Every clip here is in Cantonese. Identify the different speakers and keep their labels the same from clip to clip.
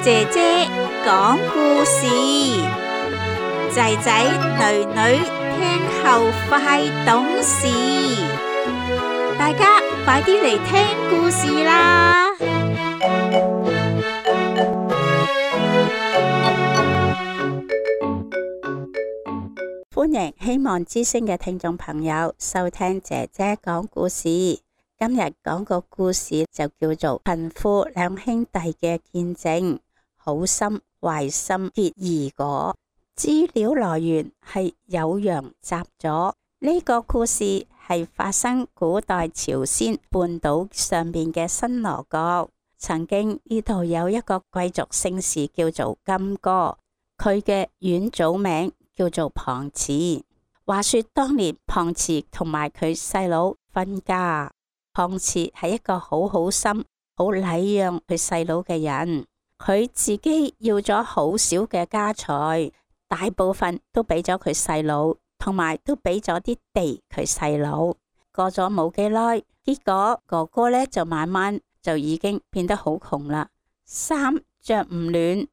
Speaker 1: 姐姐講故事，仔仔女女聽後快懂事，大家快啲嚟聽故事啦！歡迎希望之聲嘅聽眾朋友收聽姐姐講故事。今日講個故事就叫做貧富兩兄弟嘅見證，好心壞心結義果。資料來源係酉陽雜俎。呢個故事係發生古代朝鮮半島上面嘅新羅國。曾經呢度有一個貴族姓氏叫做金哥，佢嘅遠祖名叫做龐慈。話說當年龐慈同埋佢細佬分家。龐慈係一個好好心、好禮讓佢細佬嘅人，佢自己要咗好少嘅家財，大部分都俾咗佢細佬，同埋都俾咗啲地佢細佬。過咗冇幾耐，結果哥哥呢就慢慢就已經變得好窮啦，衫着唔暖，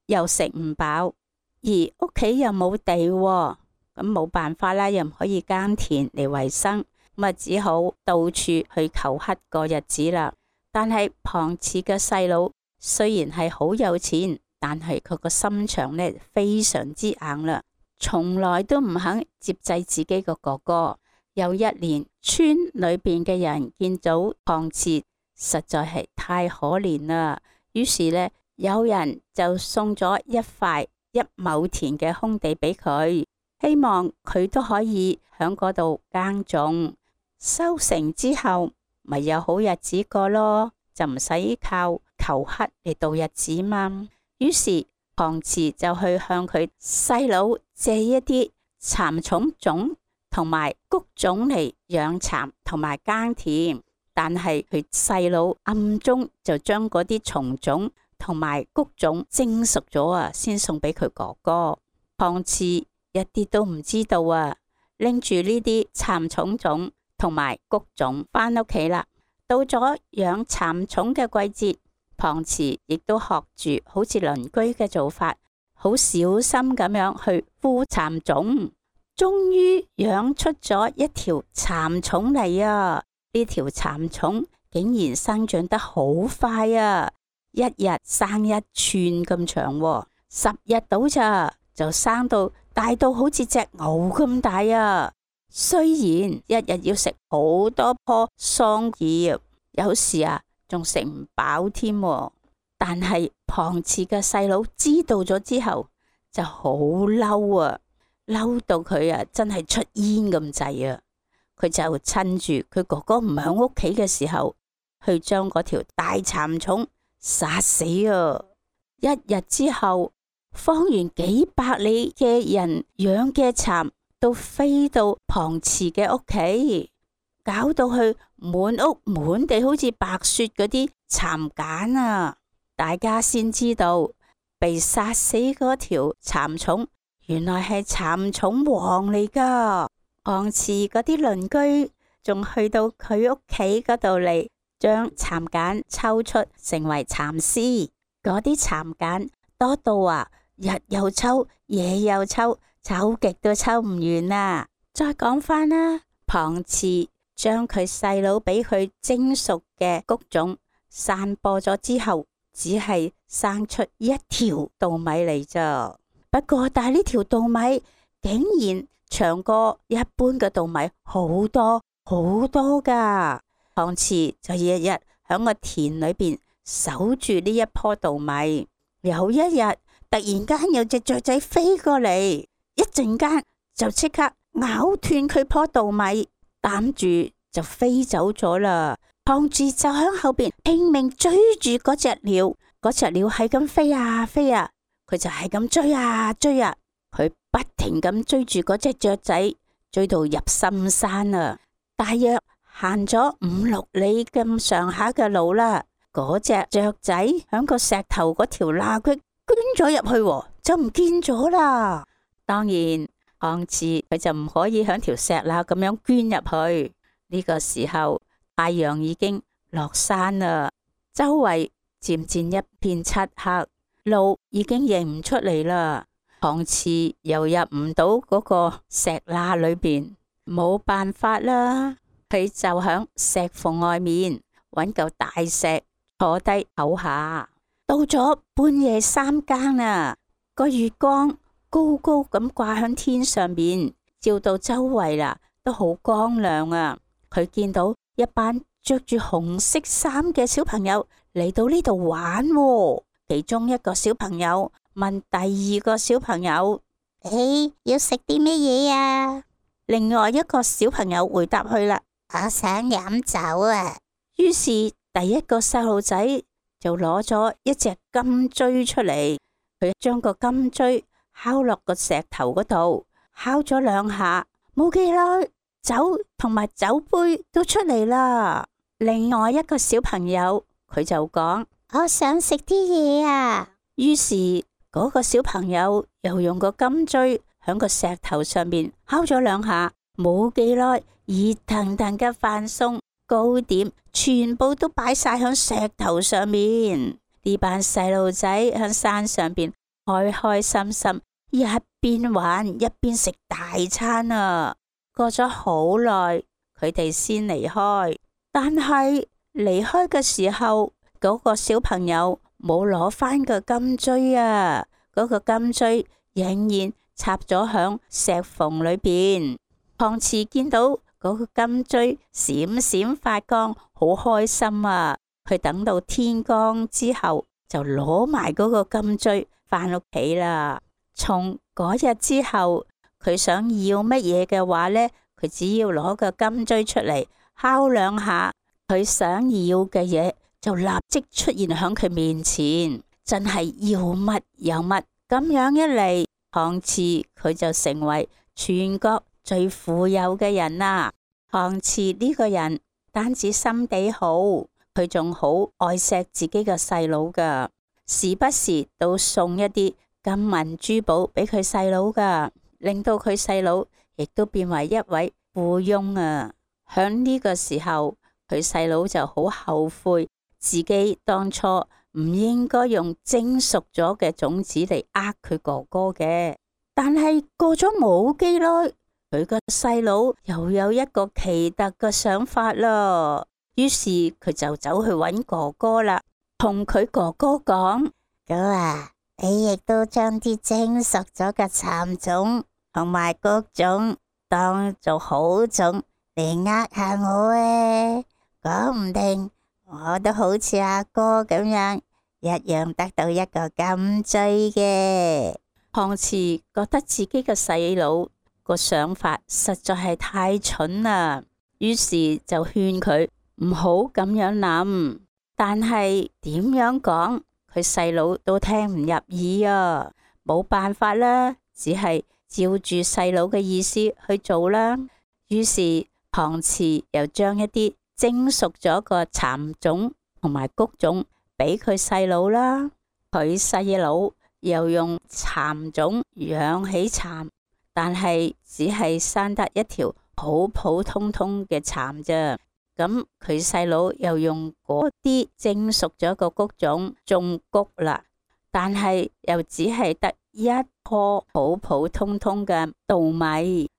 Speaker 1: 又食唔飽，而屋企又冇地喎，咁冇辦法啦，又唔可以耕田嚟維生。咁只好到處去求乞過日子啦。但係龐慈嘅細佬雖然係好有錢，但係佢個心腸呢非常之硬啦，從來都唔肯接濟自己個哥哥。有一年，村裏邊嘅人見到龐慈實在係太可憐啦，於是呢，有人就送咗一塊1畝田嘅空地俾佢，希望佢都可以喺嗰度耕種。收成之後，咪有好日子過咯，就唔使靠求乞嚟度日子嘛。於是龐慈就去向佢細佬借一啲蠶蟲種同埋穀種嚟養蠶同埋耕田，但係佢細佬暗中就將嗰啲蟲種同埋穀種蒸熟咗啊，先送俾佢哥哥。龐慈一啲都唔知道啊，拎住呢啲蠶蟲種同埋穀種返屋企啦。到咗養蠶蟲嘅季節，龐慈亦都學住好似鄰居嘅做法，好小心咁樣去孵蠶種。終於養出咗一條蠶蟲嚟啊！呢條蠶蟲竟然生長得好快啊，一日生1寸咁長喎，10日到咋就生到大到好似隻牛咁大啊！雖然一日要食好多棵桑葉，有時仲食唔飽添，但係龐慈嘅細佬知道咗之後就好嬲啊，嬲到佢真係出煙咁滯啊！佢就趁住佢哥哥唔喺屋企嘅時候，去將嗰條大蠶蟲殺死啊！一日之後，方圓幾百里嘅人養嘅蠶都飛到龐慈嘅屋企，搞到去滿屋滿地好似白雪嗰啲蠶繭啊！大家先知道被殺死嗰條蠶蟲原來係蠶蟲王嚟噶。龐慈嗰啲鄰居仲去到佢屋企嗰度嚟，將蠶繭抽出成為蠶絲。嗰啲蠶繭多到日又抽，夜又抽，抽極都抽唔完啦！再講返啦，龐慈將佢細佬俾佢蒸熟嘅穀種散播咗之後，只係生出1條稻米嚟咋。不過但係呢條稻米竟然長過一般嘅稻米好多好多噶。龐慈就日日喺個田裏邊守住呢一棵稻米。有一日突然間有隻雀仔飛過嚟，一陣間就即刻咬斷佢棵稻米，擔住就飛走咗啦。龐慈就喺後邊拼命追住嗰隻鳥，嗰隻鳥係咁飛啊飛啊，佢就係咁追啊追啊，佢不停咁追住嗰隻雀仔，追到入深山啊，大約行咗5-6里咁上下嘅路啦。嗰隻雀仔響個石頭嗰條罅隙捐咗入去，就唔見咗啦。當然龐慈佢就唔可以響條石罅咁樣捐入去。呢個時候太陽已經落山啦，周圍漸漸一片漆黑。路已經認唔出嚟啦。龐慈又入唔到嗰個石罅裏邊，冇辦法啦。佢就響石縫外面揾嚿大石坐低唞下。到咗半夜3更啦，個月光高高咁掛響天上面，照到周圍啦，都好光亮啊。佢見到一班着住紅色衫嘅小朋友嚟到呢度玩喎。其中一個小朋友問第二個小朋友：你要食啲咩嘢啊？另外一個小朋友回答佢啦：我想飲酒啊。於是第一個細路仔就攞咗一隻金錐出嚟，佢將個金錐敲落個石頭嗰度，敲咗2下，冇幾耐，酒同埋酒杯都出嚟啦。另外一個小朋友佢就講：我想食啲嘢啊。於是嗰個小朋友又用個金錐響個石頭上面敲咗2下，冇幾耐，熱騰騰嘅飯餸、糕點全部都擺晒響石頭上面。呢班細路仔響山上邊開開心心，一邊玩一邊食大餐啊。過咗好耐，佢哋先離開。但係離開嘅時候，嗰個小朋友冇攞翻個金錐啊，嗰個金錐仍然插咗響石縫裏邊。龐慈見到嗰個金錐閃閃發光，好開心啊！佢等到天光之後，就攞埋嗰個金錐翻屋企啦。從嗰日之後，佢想要乜嘢嘅話呢，佢只要攞個金錐出嚟敲2下，佢想要嘅嘢就立即出現喺佢面前，真係要乜有乜。咁樣一嚟，龐慈佢就成為全國最富有嘅人啦。龐慈呢個人單止心地好，佢仲好愛錫自己嘅細佬噶，時不時都送一啲金銀珠寶俾佢細佬噶，令到佢細佬亦都變為一位富翁啊。響呢個時候，佢細佬就好後悔自己當初唔應該用蒸熟咗嘅種子嚟佢哥哥嘅。但係過咗冇幾耐，佢個細佬又有一個奇特嘅想法啦。於是佢就走去揾哥哥啦，同佢哥哥講：哥啊，你亦都將啲蒸熟咗嘅蠶種同埋穀種當做好種嚟下我啊，講唔定我都好似阿哥咁樣，一樣得到一個金錐嘅。龐慈覺得自己嘅細佬個想法實在係太蠢啦，於是就勸佢唔好咁樣諗。但係點樣講，佢細佬都聽唔入耳啊，冇辦法啦，只係照住細佬嘅意思去做啦。於是龐慈又將一啲蒸熟咗個蠶種同埋穀種俾佢細佬啦。佢細佬又用蠶種養起蠶，但係只係生得一條普普通通嘅蠶啫。咁佢細佬又用嗰啲蒸熟咗個穀種種穀啦，但係又只係得一棵普普通通嘅稻米。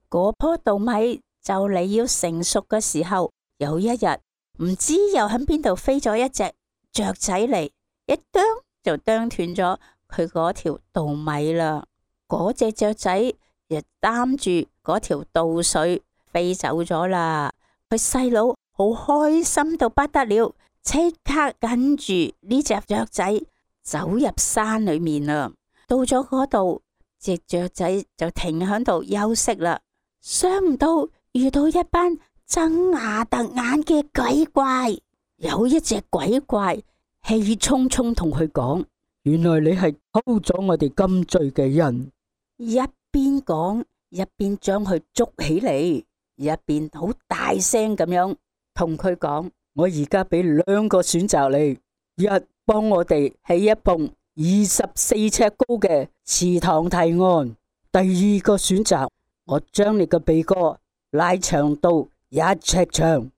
Speaker 1: 嗰棵稻米就嚟要成熟嘅時候，有一日唔知又喺邊度飛咗一隻雀仔嚟，一啄就啄斷咗佢嗰條稻米啦。嗰隻雀仔亦擔住嗰條稻穗飛走咗啦。佢細佬好開心到不得了，即刻跟住呢隻雀仔走入山裏面啦。到咗嗰度，隻雀仔就停喺度休息啦。想唔到遇到一班睜牙突眼嘅鬼怪，有一隻鬼怪氣沖沖同佢講：原來你係偷咗我哋金錐嘅人。一邊講一邊將佢捉起嚟，一邊好大聲咁樣同佢講：我而家俾2個選擇你，一，幫我哋起一棟24尺高嘅祠堂提案；第2個選擇，我將你嘅鼻哥拉長到1尺長，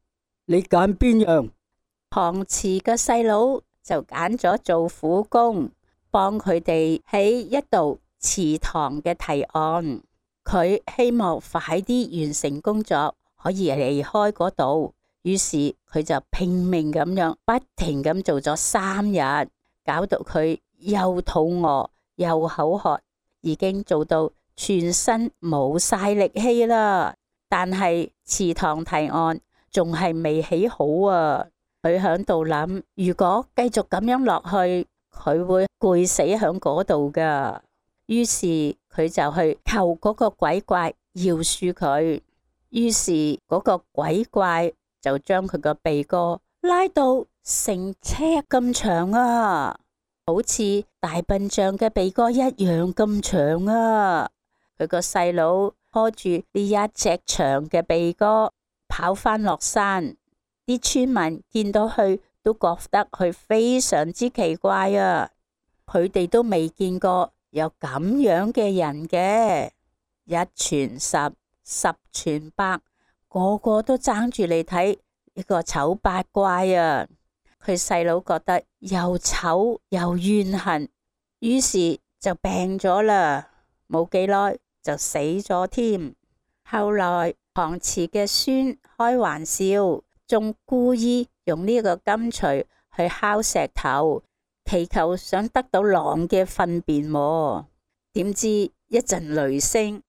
Speaker 1: 你揀邊樣？龐慈嘅細佬就揀咗做苦工，幫佢哋喺一道祠堂嘅提案，佢希望快啲完成工作，可以離開嗰度。於是佢就拼命咁樣不停咁做咗3日，搞到佢又肚餓又口渴，已經做到全身冇晒力氣啦。但係祠堂提案仲係未起好啊！佢喺度諗，如果繼續咁樣落去，佢會攰死喺嗰度噶。於是佢就去求嗰個鬼怪饒恕佢。於是嗰個鬼怪就將佢個鼻哥拉到成尺咁長啊，好似大笨象嘅鼻哥一樣咁長啊！佢個細佬拖住呢一隻長嘅鼻哥跑返落山，啲村民見到佢都覺得佢非常之奇怪啊！佢哋都未見過有咁樣嘅人嘅，一傳十，十傳百，個個都爭住嚟睇呢個醜八怪啊！佢細佬覺得又醜又怨恨，於是就病咗啦，冇幾耐就死咗添。後來旁祠嘅孫開玩笑，仲故意用呢個金錘去敲石頭，祈求想得到狼嘅糞便。點知一陣雷聲，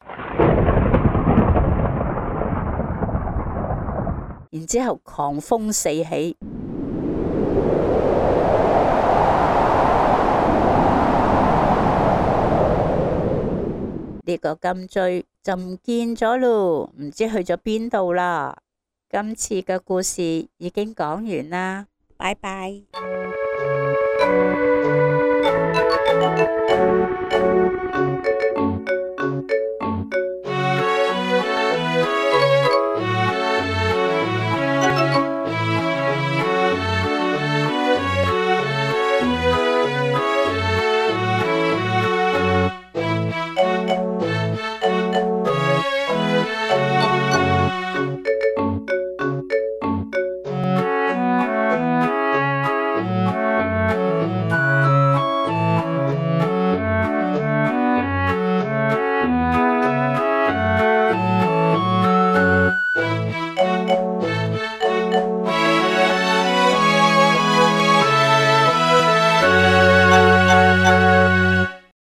Speaker 1: 然之後狂風四起，呢個金錐就唔見咗咯，唔知去咗邊度啦。今次嘅故事已經講完啦，拜拜。